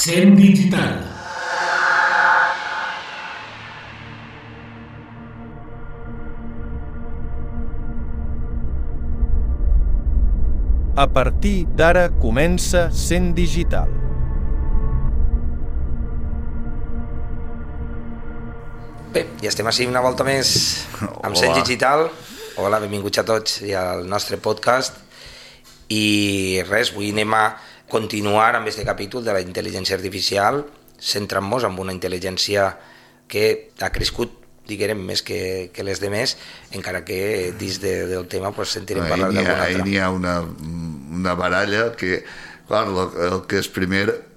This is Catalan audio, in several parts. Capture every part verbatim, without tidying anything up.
Cent Digital. A partir d'ara comença Cent Digital. Bé, ja estem així una volta més amb Cent Digital. Hola, benvinguts a tots i al nostre podcast. I res, avui anem a continuar amb aquest capítol de la intel·ligència artificial, centrant-nos en una intel·ligència que ha crescut, diguem, més que, que les demés, encara que dins de, del tema pues, sentirem no, parlar d'alguna altra. Ahí n'hi ha una, una baralla que, clar, el, el que és primer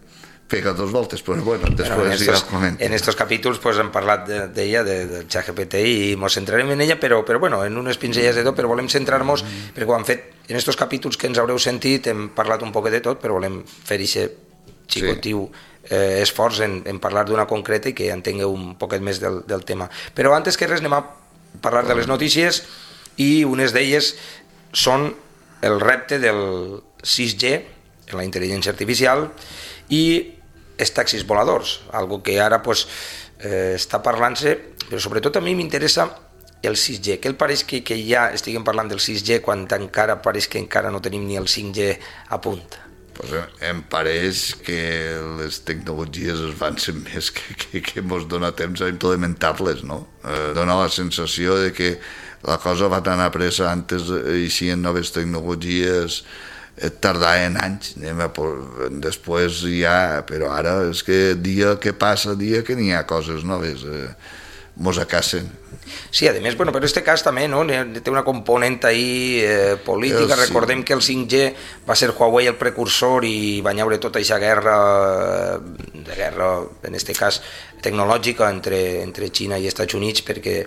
pega dos voltes, però bueno, després ja el comento. En estos capítols pues, hem parlat d'ella, de, del ChatGPT, i ens centrarem en ella, però, però bueno, en unes pinzelles de tot, però volem centrar-nos, mm. perquè ho hem fet en estos capítols que ens haureu sentit, hem parlat un poc de tot, però volem fer aquest xicotiu sí. eh, esforç en, en parlar d'una concreta i que entengueu un poquet més del, del tema. Però antes que res anem a parlar de les notícies, i unes d'elles són el repte del sis G, en la intel·ligència artificial, i els taxis voladors, algo que ara pues, eh, està parlant-se, però sobretot a mi m'interessa el sis G, que el pareix que, que ja estiguem parlant del sis G quan encara pareix que encara no tenim ni el cinc G a punt. Pues em pareix que les tecnologies avancen més que, que, que ens dona temps a implementar-les, no? Eh, dona la sensació de que la cosa va tan a pressa, antes eixien noves tecnologies, tardaven anys, després ja, però ara és que dia que passa, dia que n'hi ha coses noves, eh, mos acasen. Sí, a més, bueno, però en aquest cas també no? Té una component ahí eh, política, sí. Recordem que el cinc G va ser Huawei el precursor i va haure tota aquesta guerra, de guerra, en aquest cas tecnològica, entre, entre Xina i Estats Units, perquè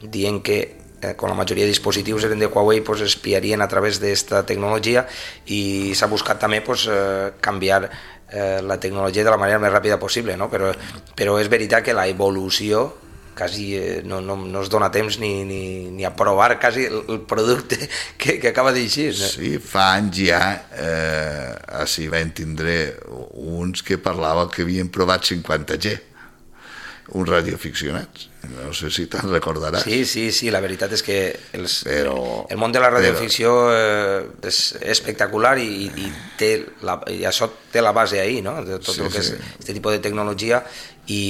dient que eh, quan la majoria de dispositius eren de Huawei pues, espiarien a través d'esta tecnologia, i s'ha buscat també pues, eh, canviar eh, la tecnologia de la manera més ràpida possible, no? però, però és veritat que la evolució quasi eh, no, no, no es dona temps ni, ni, ni a provar quasi el, el producte que, que acaba d'eixir. No? Sí, fa anys ja, eh, així vam tindre uns que parlava que havien provat cinquanta G, uns radioaficionats. No sé si te'n recordaràs. Sí, sí, sí, la veritat és que els, però, el món de la radioficció eh, és espectacular i, i, té la, i això té la base ahí, no? De tot sí, el que sí. és aquest tipus de tecnologia, i,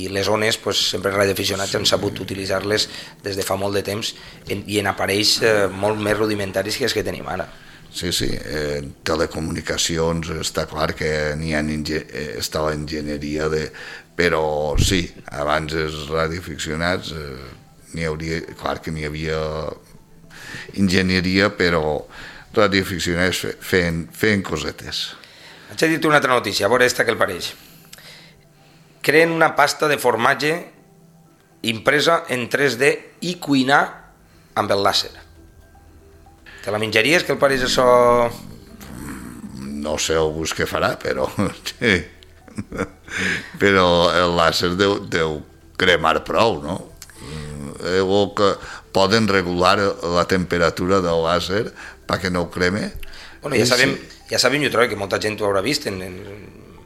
i les ones, pues, sempre els radioaficionats sí. han sabut utilitzar-les des de fa molt de temps, en, i en aparells eh, molt més rudimentaris que els que tenim ara. Sí, sí, eh, telecomunicacions està clar que n'hi ha està la enginyeria de... però sí, abans els radioaficionats eh, n'hi hauria, clar que n'hi havia enginyeria, però radioaficionats feien, feien cosetes. Vaig a dir-te una altra notícia, a veure esta que el pareix. Creen una pasta de formatge impresa en tres D i cuinar amb el làser. Te la menjaries, que el pareix això? No sé el gust que farà, però sí. Però el làser deu, deu cremar prou, no? Eh, o que poden regular la temperatura del làser perquè no ho creme. Bueno, ja sabem, ja sabem, jo trobo que molta gent ho haurà vist en, en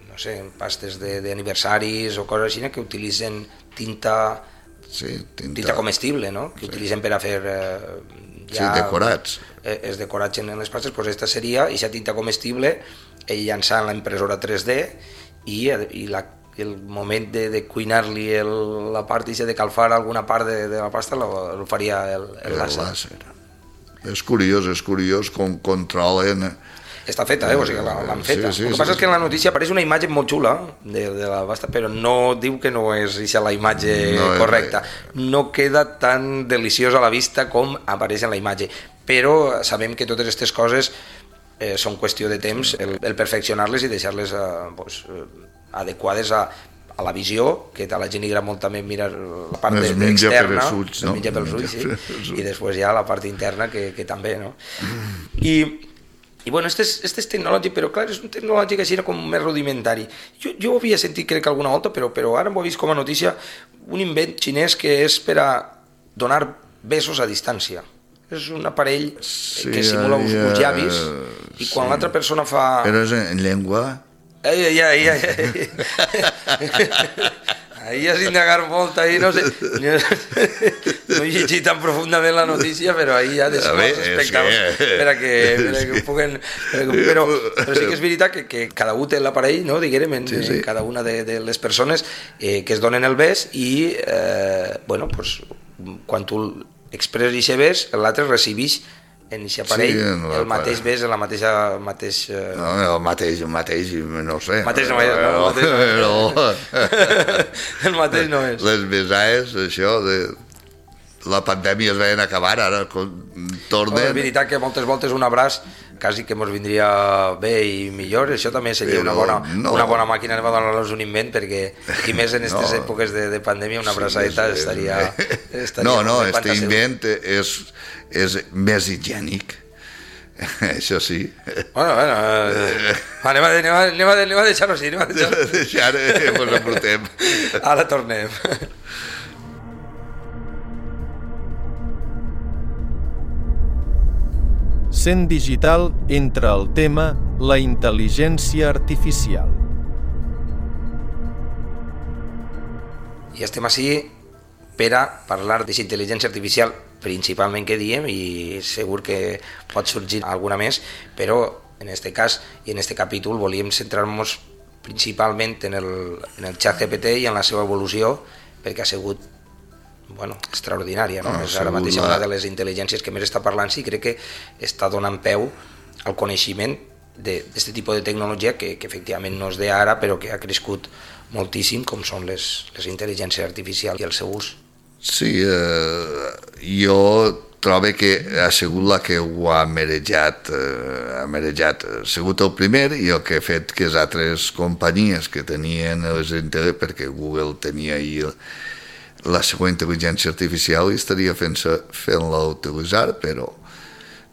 no sé, en pastes d'aniversaris o coses així, que utilitzen tinta, sí, tinta, tinta comestible, no? Que sí. Utilitzen per a fer eh, ja, sí, decorats. Eh, els decorats en les pastes, doncs aquesta seria aquesta tinta comestible llançant la impressora tres D, i, i la, el moment de, de cuinar-li el, la part de calfar alguna part de, de la pasta el faria el, el, el làser. làser. És curiós, és curiós com controlen està feta, eh? O sigui, l'han feta. Sí, sí, el que sí, passa sí. és que en la notícia apareix una imatge molt xula de, de la basta, però no diu que no és ixa la imatge no correcta. No queda tan deliciosa a la vista com apareix en la imatge, però sabem que totes aquestes coses eh, són qüestió de temps, el, el perfeccionar-les i deixar-les eh, pues, eh, adequades a, a la visió, que a la gent li agrada molt també mirar la part Es de, menja externa, per els ulls, no? es menja pels ulls, sí, i després ja la part interna que, que també, no? I, i bueno, este és, este és tecnològic, però clar, és un tecnològic així com més rudimentari. Jo, jo ho havia sentit crec que alguna volta, però, però ara m'ho he vist com a notícia, un invent xinès que és per a donar besos a distància. És un aparell Sí, que simula uns, ja, uns llavis i quan sí. l'altra persona fa... Però és en llengua... Ai, ai, ai, ai, ai. Ahí has indagar molt, ahí no sé, no he llegit tan profundament la notícia, però ahí ja deixem els espectadors que... per a que, per a que puguen... Per a que, però, però sí que és veritat que, que cada un té l'aparell, no, diguem, en, sí, sí. en cada una de, de les persones eh, que es donen el bes i, eh, bueno, pues, quan tu expresses aquest bes, l'altre recibeix en aquest aparell sí, no, el mateix bes, la mateixa... El mateix, eh... no, el mateix, el mateix, no sé. El mateix no és, no? El mateix no és. El mateix no és. Les besades, això, de... la pandèmia es veien acabar, ara tornen... No, és veritat que moltes voltes un abraç quasi que ens vindria bé i millor, això també seria una bona, no. una bona màquina de donar-los un invent, perquè i més en aquestes no. èpoques de, de pandèmia una abraçadeta sí, estaria, estaria... No, no, este invent és, és més higiènic, això sí. Bueno, bueno, eh, anem, a, anem, a, anem, a, anem a deixar-ho així, anem a deixar-ho. Deixar, ens embrutem. Ara tornem. Cent Digital entra al tema la intel·ligència artificial. I estem així per a parlar d'aquesta intel·ligència artificial principalment que diem, i segur que pot sorgir alguna més, però en aquest cas i en aquest capítol volíem centrar-nos principalment en el, en el ChatGPT i en la seva evolució, perquè ha sigut bueno, extraordinària, no? És ara mateix una de les intel·ligències que més està parlant i crec que està donant peu al coneixement d'aquest tipus de tecnologia que, que efectivament no és d'ara, però que ha crescut moltíssim, com són les, les intel·ligències artificials i el seu ús. Sí, eh, jo trobo que ha sigut la que ho ha merejat, eh, ha merejat, ha sigut el primer i el que ha fet que les altres companyies que tenien les intel·ligències, perquè Google tenia ahir la seva intel·ligència artificial i estaria fent-la fent utilitzar, però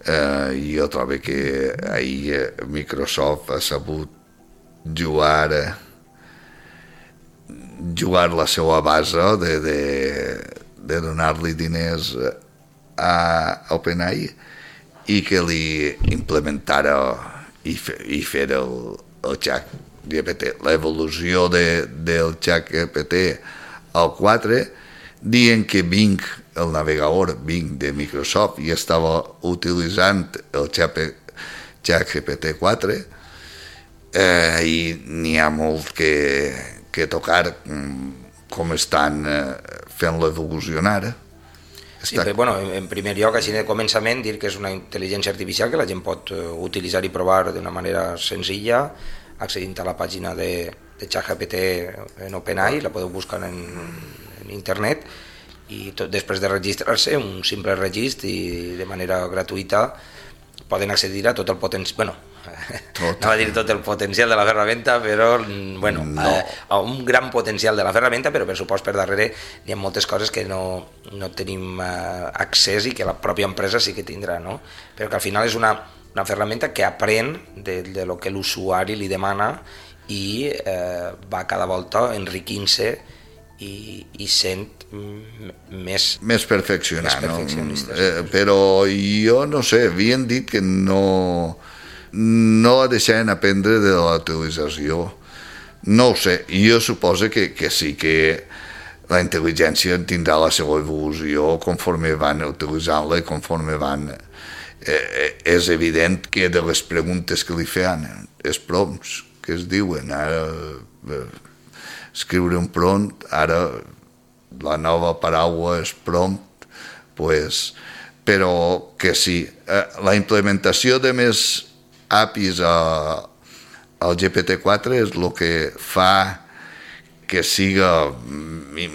eh, jo trobo que ahir Microsoft ha sabut jugar jugar la seva base de, de, de donar-li diners a OpenAI i que li implementara i, fe, i fer el, el ChatGPT, l'evolució de, del ChatGPT al quatre, dient que Bing, el navegador Bing de Microsoft, ja estava utilitzant el ChatGPT quatre eh, i n'hi ha molt que, que tocar com estan eh, fent-lo evolucionar. Sí, però, bueno, en primer lloc, així de començament, dir que és una intel·ligència artificial que la gent pot utilitzar i provar d'una manera senzilla, accedint a la pàgina de, de ChatGPT en OpenAI, la podeu buscar en, en internet, i tot, després de registrar-se, un simple registre i de manera gratuïta poden accedir a tot el potencial, bueno, tot. no va dir tot el potencial de la ferramenta, però bueno, no. a, a un gran potencial de la ferramenta, però per supost per darrere hi ha moltes coses que no, no tenim uh, accés i que la pròpia empresa sí que tindrà, no? Però que al final és una, una ferramenta que aprèn de, de lo que l'usuari li demana i eh, va cada volta enriquint-se i, i sent més... Més perfeccionat, no? Eh, però jo no sé, havien dit que no, no la deixaven aprendre de la utilització. No ho sé, jo suposo que, que sí que la intel·ligència tindrà la seva evolució conforme van utilitzant-la i conforme van... Eh, és evident que de les preguntes que li feien, els prompts que es diuen, ara eh, escriure un prompt, ara la nova paraula és prompt, pues, però que sí, eh, la implementació de més A P Is a, al G P T quatre és el que fa que siga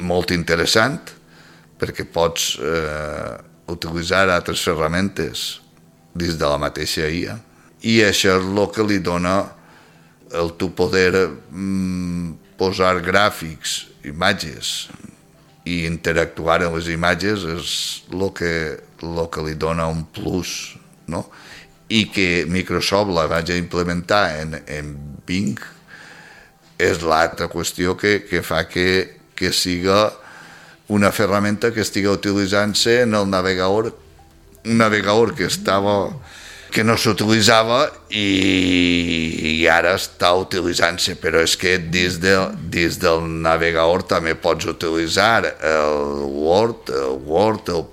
molt interessant, perquè pots eh, utilitzar altres ferramentes dins de la mateixa I A, i això és el que li dona el tu poder mm, posar gràfics, imatges, i interactuar amb les imatges és el que, el que li dona un plus, no? I que Microsoft la vagi a implementar en, en Bing és l'altra qüestió que, que fa que, que siga una ferramenta que estigui utilitzant-se en el navegador, un navegador que estava que no s'utilitzava i, i ara està utilitzant-se, però és que dins, de, dins del navegador també pots utilitzar el Word, el Word, el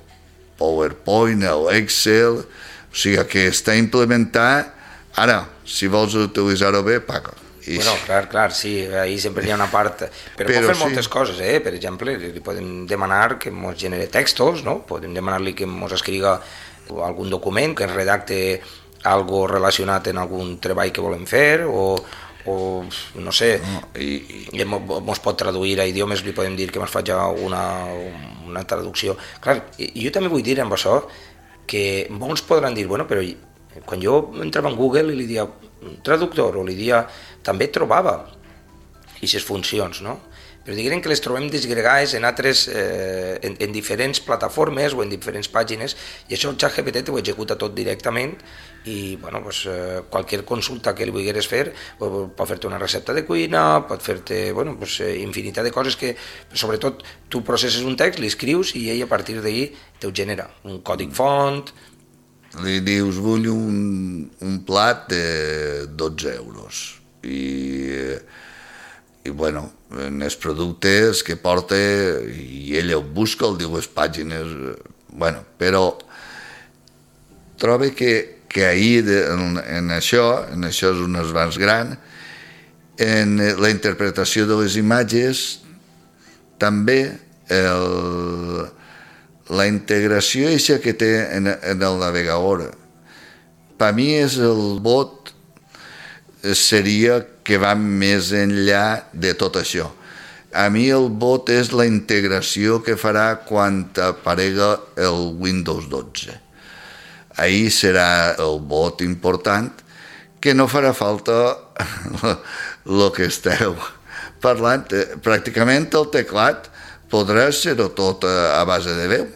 PowerPoint, el Excel, o sigui que està implementat. Ara, si vols utilitzar-ho bé, paga. I... Bueno, clar, clar, sí, ahí sempre hi ha una part... Però, però pot fer sí. moltes coses, eh? Per exemple, li podem demanar que ens genere textos, no? Podem demanar-li que ens escriga algun document, que ens redacte algo relacionat en algun treball que volem fer, o, o no sé, no, i, i ens pot traduir a idiomes, li podem dir que ens faci una, una traducció. Clar, jo també vull dir amb això que molts podran dir, bueno, però quan jo entrava en Google i li dia traductor, o li dia, també trobava aquestes funcions, no? Però diguem que les trobem disgregades en altres, eh, en, en diferents plataformes o en diferents pàgines, i això el ChatGPT t'ho executa tot directament, i bueno, pues, eh, qualsevol consulta que li vulgueres fer, pot fer-te una recepta de cuina, pot fer-te bueno, pues, eh, infinitat de coses que, sobretot, tu processes un text, l'escrius i ell a partir d'ahir t'ho genera, un còdic font. Li dius, vull un, un plat de dotze euros, i... i bueno, en els productes que porta, i ell ho busca, el diu les pàgines, bueno, però trobo que, que ahir en, en això, en això és un avanç gran, en la interpretació de les imatges, també el, la integració eixa que té en, en el navegador, per mi és el bot, seria que va més enllà de tot això. A mi el bot és la integració que farà quan aparega el Windows dotze. Ahí serà el bot important, que no farà falta el que esteu parlant. Pràcticament el teclat podrà ser-ho tot a base de veu.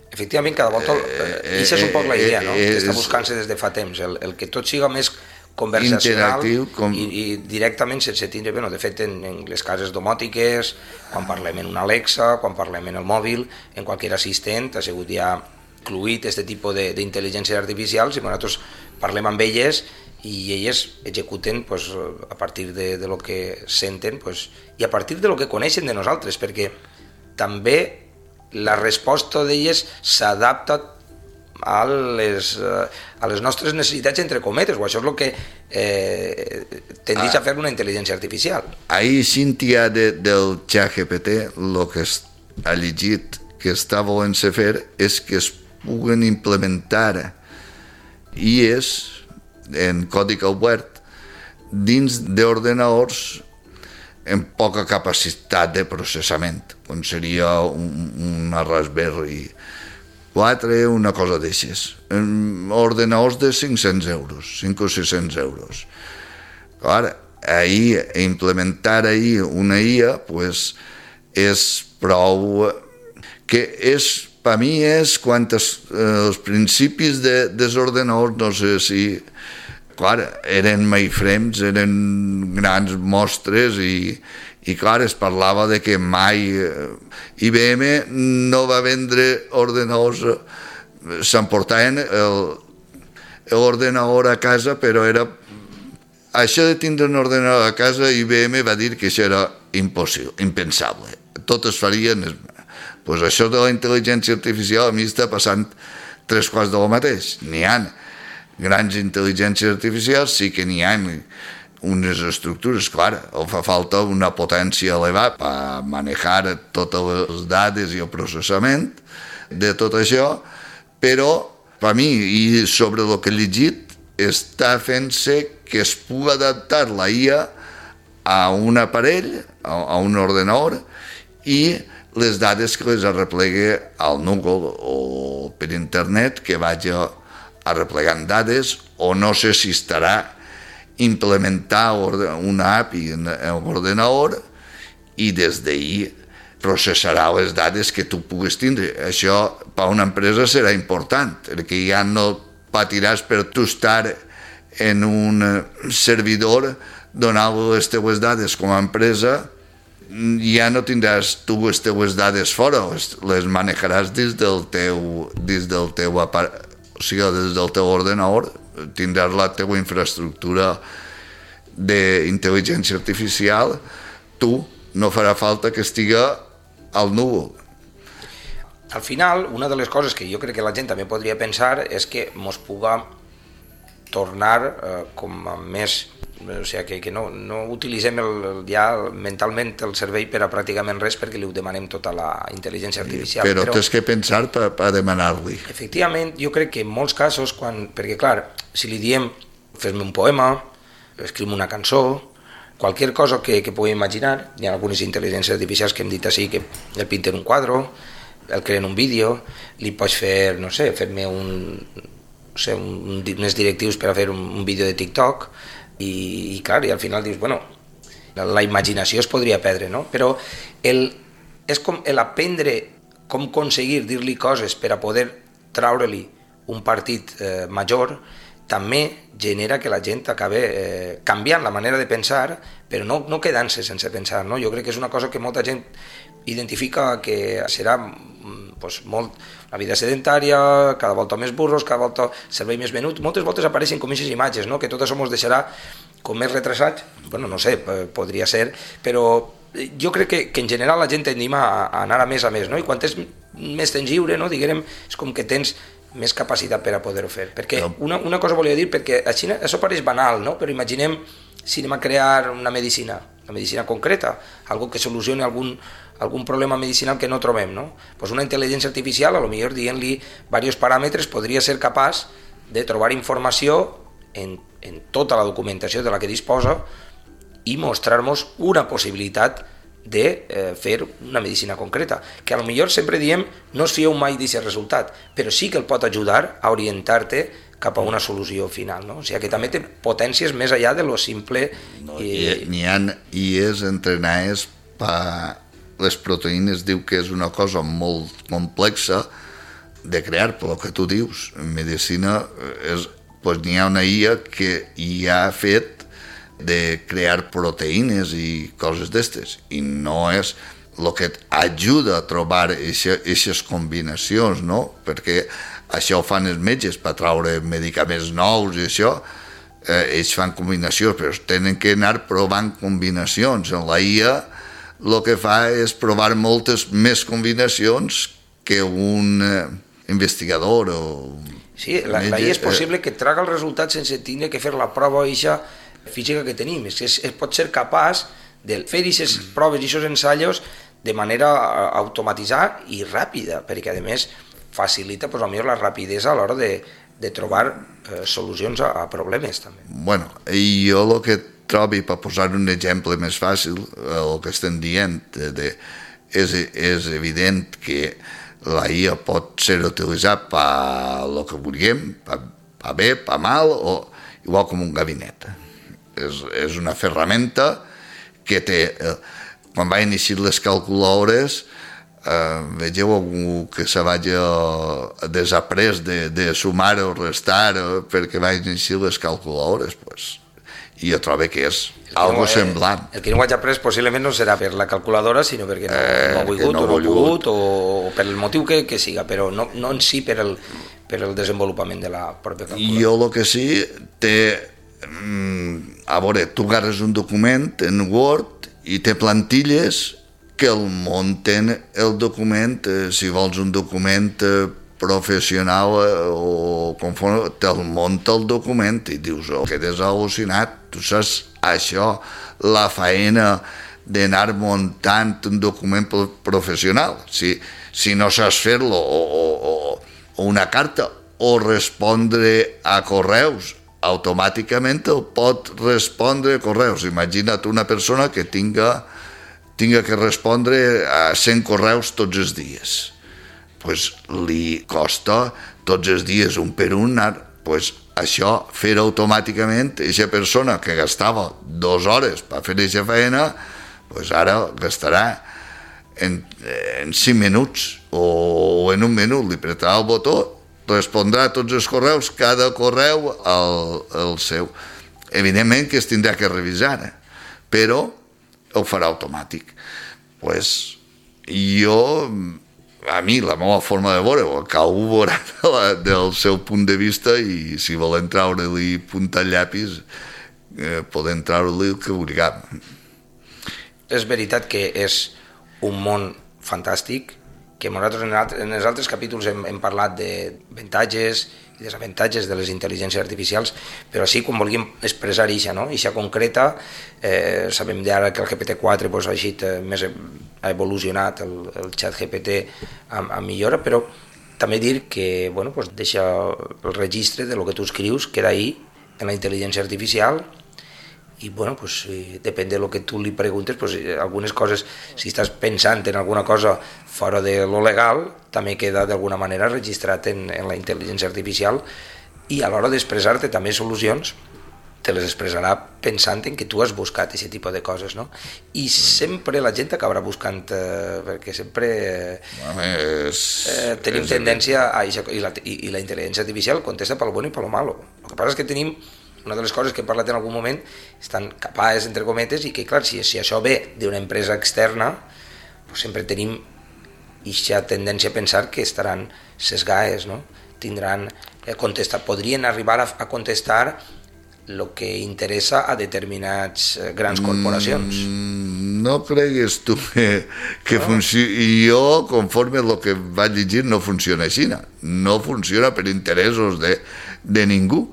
Efectivament, cada volta... Eh, Ixa és un poc la idea, no? Que està buscant-se des de fa temps, el, el que tot siga més conversacional com... i, i directament sense tindre... Bueno, de fet, en, en les cases domòtiques, quan parlem en una Alexa, quan parlem en el mòbil, en qualsevol assistent, ha sigut ja incluït aquest tipus d'intel·ligències artificials i nosaltres parlem amb elles i elles executen pues, a partir de, de lo que senten pues, i a partir de lo que coneixen de nosaltres, perquè també la resposta d'elles s'adapta a les, a les nostres necessitats entre cometes, o això és el que eh, tendeix a fer una intel·ligència artificial. Ahir Cíntia de, del ChatGPT el que ha llegit que està volent-se fer és que es puguen implementar I Es en codi obert dins d'ordenadors amb poca capacitat de processament, com seria un, una Raspberry quatre, una cosa d'aixes. Ordenadors de cinc-cents euros, cinc o sis-cents euros. Clar, ahir, implementar ahir una I A, pues, és prou... que és, per mi és quan es, eh, els principis de, dels ordenadors, no sé si... Clar, eren mainframes, eren grans mostres i, i clar, es parlava de que mai I B M no va vendre ordenadors, s'emportaven l'ordenador a casa, però era... Això de tindre un ordenador a casa, I B M va dir que això era impossible, impensable. Tot es farien... Pues això de la intel·ligència artificial a mi està passant tres quarts de lo mateix. N'hi ha grans intel·ligències artificials, sí que n'hi ha unes estructures, clar, o fa falta una potència elevada per manejar totes les dades i el processament de tot això, però per mi, i sobre el que he llegit, està fent-se que es pugui adaptar la I A a un aparell, a un ordenador, i les dades que les arreplegue al núvol o per internet, que vagi arreplegant dades, o no sé si estarà implementar una A P I en l'ordenador i des d'ahir processarà les dades que tu puguis tindre. Això per a una empresa serà important, perquè ja no patiràs per tu estar en un servidor donant les teves dades com a empresa, ja no tindràs tu les teves dades fora, les manejaràs dins del teu, dins del teu aparell, o sigui, des del teu ordenador, tindràs la teva infraestructura d'intel·ligència artificial, tu no farà falta que estigui al núvol. Al final, una de les coses que jo crec que la gent també podria pensar és que mos puga tornar eh, com a més, o sigui, que, que no, no utilitzem el, ja mentalment el cervell per a pràcticament res perquè li ho demanem tota la intel·ligència artificial. Però, però tens que pensar per, per demanar-li. Efectivament, jo crec que en molts casos, quan, perquè clar, si li diem fes-me un poema, escriu-me una cançó, qualsevol cosa que, que pugui imaginar, hi ha algunes intel·ligències artificials que hem dit així, que el pinten un quadre, el creen un vídeo, li pots fer, no sé, fer-me un, no sé, un, unes directius per a fer un, un vídeo de TikTok, i, i clar, i al final dius, bueno, la, la imaginació es podria perdre, no? Però el, és com l'aprendre com aconseguir dir-li coses per a poder traure-li un partit eh, major, també genera que la gent acabi eh, canviant la manera de pensar, però no, no quedant-se sense pensar, no? Jo crec que és una cosa que molta gent identifica que serà pues, molt, la vida sedentària, cada volta més burros, cada volta servei més venut. Moltes voltes apareixen com aquestes imatges, no? Que tot això ens deixarà com més retrasats, bueno, no sé, podria ser, però jo crec que, que en general la gent tendim a, a anar a més a més, no? I quan tens més temps lliure, no? Diguem, és com que tens més capacitat per a poder-ho fer. Perquè una, una cosa volia dir, perquè a Xina això pareix banal, no? Però imaginem si anem a crear una medicina, una medicina concreta, algo que solucioni algun, algun problema medicinal que no trobem, no? Pues una intel·ligència artificial, a lo millor dient-li diversos paràmetres, podria ser capaç de trobar informació en, en tota la documentació de la que disposa i mostrar-nos una possibilitat de eh, fer una medicina concreta, que a lo millor sempre diem no es fieu mai d'aquest resultat, però sí que el pot ajudar a orientar-te cap a una solució final, no? O sigui que també té potències més enllà de lo simple. No, i... N'hi ha I es entrenades per les proteïnes, diu que és una cosa molt complexa de crear, però que tu dius, en medicina és, pues, n'hi ha una I A que ja ha fet de crear proteïnes i coses d'estes, i no és el que ajuda a trobar aquestes combinacions, no? Perquè això ho fan els metges per treure medicaments nous i això, eh, ells fan combinacions, però tenen que anar provant combinacions. En la I A el que fa és provar moltes més combinacions que un eh, investigador o... Sí, la, la I A és possible que traga el resultat sense tenir que fer la prova eixa física que tenim, és que es, es pot ser capaç de fer aquestes proves i aquests ensaios de manera automatitzada i ràpida, perquè a més facilita pues, potser la rapidesa a l'hora de, de trobar eh, solucions a, a problemes també. Bueno, i jo el que trobi, per posar un exemple més fàcil, el que estem dient, de, de, és, és evident que la I A pot ser utilitzat per el que vulguem, per, per bé, per mal, o igual com un gabinet. És, és una ferramenta que té, eh, quan va iniciar les calculadores, eh, vegeu algú que se vagi desaprès de, de sumar o restar eh, perquè va iniciar les calculadores, pues, i jo trobo que és algo no, semblant. El que no ho hagi après possiblement no serà per la calculadora, sinó perquè no, eh, no ha volgut no o no ha pogut, o, o per el motiu que, que siga, però no, no en si per el, per el desenvolupament de la pròpia calculadora. Jo el que sí té... A veure, tu agarres un document en Word i té plantilles que el munten el document, eh, si vols un document eh, professional eh, o conforme, te'l munta el document i dius, oh, quedes al·lucinat, tu saps això, la faena d'anar muntant un document professional, si, si no saps fer-lo, o, o, o una carta, o respondre a correus, automàticament el pot respondre a correus. Imagina't una persona que tinga, tinga que respondre a cent correus tots els dies. Pues li costa tots els dies un per un anar, pues això, fer automàticament, aquesta persona que gastava dues hores per fer aquesta feina, pues ara gastarà en, en cinc minuts o en un minut, li apretarà el botó, respondrà a tots els correus, cada correu el, el seu. Evidentment que es tindrà que revisar, eh? Però ho farà automàtic. Pues jo... A mi, la meva forma de veure, cada un veurà del seu punt de vista i si volen treure-li punta al llapis, eh, poden treure-li el que vulguem. És veritat que és un món fantàstic, que nosaltres en, alt, en els altres capítols hem, hem parlat d'avantatges i desavantatges de les intel·ligències artificials, però sí, quan volíem expressar això, no? Això concreta, eh, sabem d'ara que el G P T quatre pues, ha, eixit, eh, més, ha evolucionat el, el xat G P T amb, amb millora, però també dir que bueno, pues, deixa el registre de lo que tu escrius, queda ahí en la intel·ligència artificial, i bueno, pues, depèn de lo que tu li preguntes, pues, algunes coses, si estàs pensant en alguna cosa fora de lo legal, també queda d'alguna manera registrat en, en la intel·ligència artificial, i a l'hora d'expressar-te també solucions, te les expressarà pensant en que tu has buscat aquest tipus de coses, no? I sempre la gent acabarà buscant, eh, perquè sempre eh, eh, tenim tendència a això, i la, i, i la intel·ligència artificial contesta pel bon i pel malo. El que passa és que tenim una de les coses que he parlat en algun moment, estan capaces, entre cometes, i que, clar, si, si això ve d'una empresa externa, pues sempre tenim aquesta tendència a pensar que estaran sesgades, no? Tindran, eh, contestar, podrien arribar a, a contestar el que interessa a determinats eh, grans corporacions. Mm, no cregues tu que, que no. funciona. Jo, conforme el que vaig llegir, no funciona així. No funciona per interessos de, de ningú.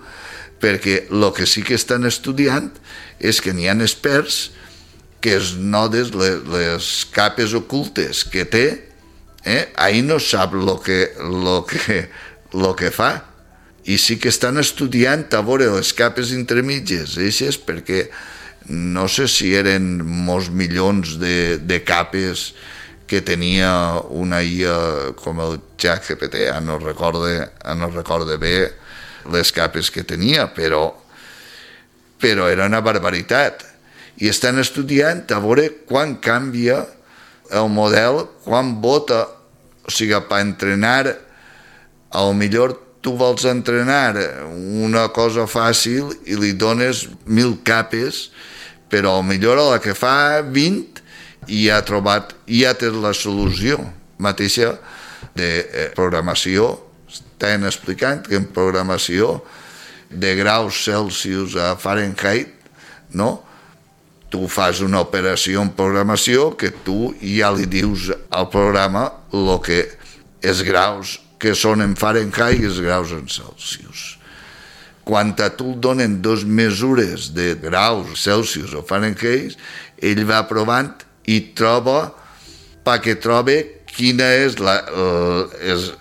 Perquè el que sí que estan estudiant és que n'hi ha experts que es nodes les, les capes ocultes que té, eh? Ahí no sap el que, lo que, lo que fa. I sí que estan estudiant a veure les capes intermitges, eixes, perquè no sé si eren molts milions de, de capes que tenia una I A com el xat G P T, ja no recorde, ja no recorde bé les capes que tenia, però, però era una barbaritat. I estan estudiant a veure quan canvia el model, quan vota, o sigui, per entrenar, a lo millor tu vols entrenar una cosa fàcil i li dones mil capes, però a lo millor a la que fa vint i ha trobat, i ja té la solució mateixa de programació. Estan explicant que en programació de graus Celsius a Fahrenheit, no? Tu fas una operació en programació que tu ja li dius al programa el que els graus que són en Fahrenheit i els graus en Celsius. Quan a tu et donen dos mesures de graus Celsius o Fahrenheit, ell va provant i troba, perquè troba quina és la... És,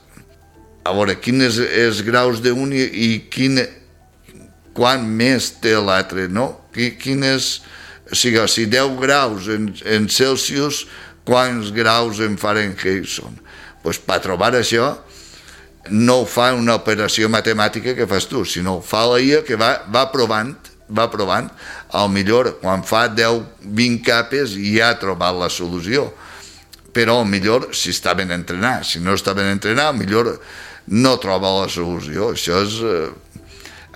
a veure, quins els graus d'un i, i quin, quan més té l'altre, no? Quines, o sigui, si deu graus en, en Celsius, quants graus en Fahrenheit són? Pues per trobar això, no ho fa una operació matemàtica que fas tu, sinó fa la I A que va, va provant, va provant, al millor quan fa deu vint capes ja ha trobat la solució, però al millor si està ben entrenat, si no està ben entrenat, al millor no troba la solució. Això és... Eh,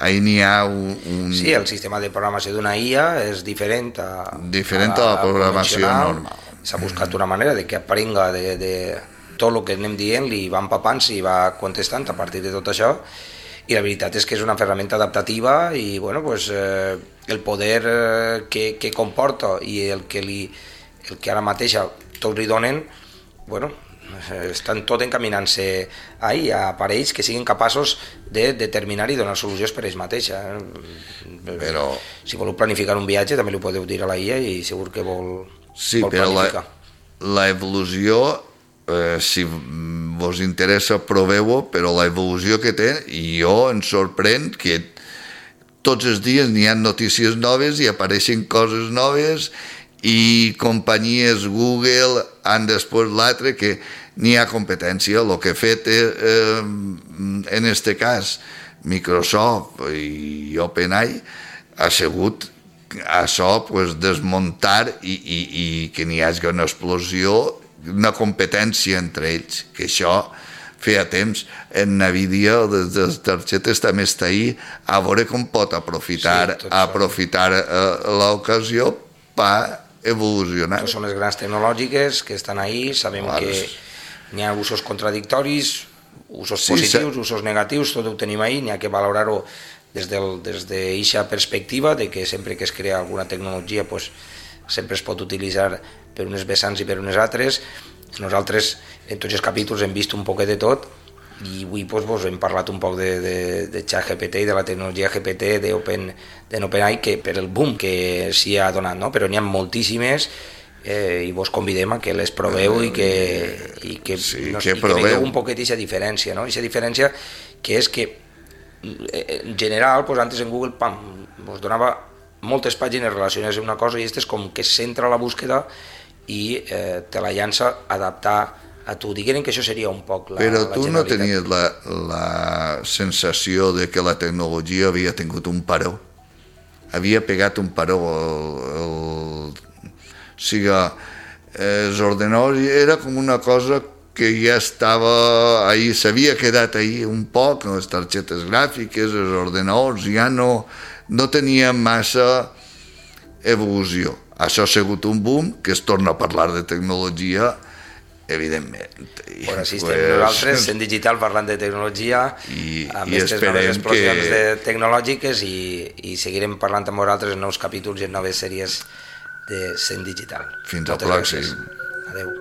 ahí n'hi ha un, un... Sí, el sistema de programació d'una I A és diferent a, diferent a, a la programació normal. S'ha buscat una manera de que aprenga de, de tot el que anem dient, li va empapant, i va contestant a partir de tot això, i la veritat és que és una ferramenta adaptativa i bueno, pues, eh, el poder eh, que, que comporta i el que, li, el que ara mateixa tots li donen, bueno, estan tot encaminant-se ahí, a aparells que siguin capaços de determinar i donar solucions per ells mateixa. Però... Si voleu planificar un viatge també li podeu dir a la I A i segur que vol, sí, vol planificar. La, la evolució, eh, si vos interessa proveu-ho, però la evolució que té, i jo em sorprèn que tots els dies n'hi ha notícies noves i apareixen coses noves i companyies Google han després l'altre que n'hi ha competència. El que ha fet eh, en este cas Microsoft i OpenAI ha sigut això, pues, desmuntar i, i, i que n'hi hagi una explosió, una competència entre ells, que això feia temps. En Nvidia, des de les targetes també està ahí, a veure com pot aprofitar, sí, aprofitar eh, l'ocasió per evolucionar. Són les grans tecnològiques que estan ahí, sabem Clar. que n'hi ha usos contradictoris, usos sí, positius, sí. usos negatius, tot ho tenim ahí, n'hi ha que valorar-ho des d'aquesta perspectiva de que sempre que es crea alguna tecnologia pues, sempre es pot utilitzar per unes vessants i per unes altres. Nosaltres en tots els capítols hem vist un poquet de tot i avui pues, vos hem parlat un poc de, de, de ChatGPT i de la tecnologia G P T d'Open, d'OpenAI que per el boom que s'hi ha donat, no? Però n'hi ha moltíssimes eh, i vos convidem a que les proveu i que, i que, sí, no, que, i que veieu un poquet aquesta diferència, no? Aquesta diferència que és que en general, pues, antes en Google pam, vos donava moltes pàgines relacionades amb una cosa i aquesta és com que centra la búsqueda i eh, te la llança a adaptar a tu. Digueren que això seria un poc la, Però la tu no tenies la, la sensació de que la tecnologia havia tingut un paró? Havia pegat un paró. El, el, o sigui, els ordenadors era com una cosa que ja estava ahí, s'havia quedat ahí un poc, les targetes gràfiques, els ordenadors, ja no, no tenien massa evolució. Això ha sigut un boom, que es torna a parlar de tecnologia, evidentment. Bueno, sí, estem pues, nosaltres en digital parlant de tecnologia, i, amb i aquestes noves explosions que... de tecnològiques i, i seguirem parlant amb vosaltres en nous capítols i en noves sèries de Sent Digital. Fins al pròxim. Adéu.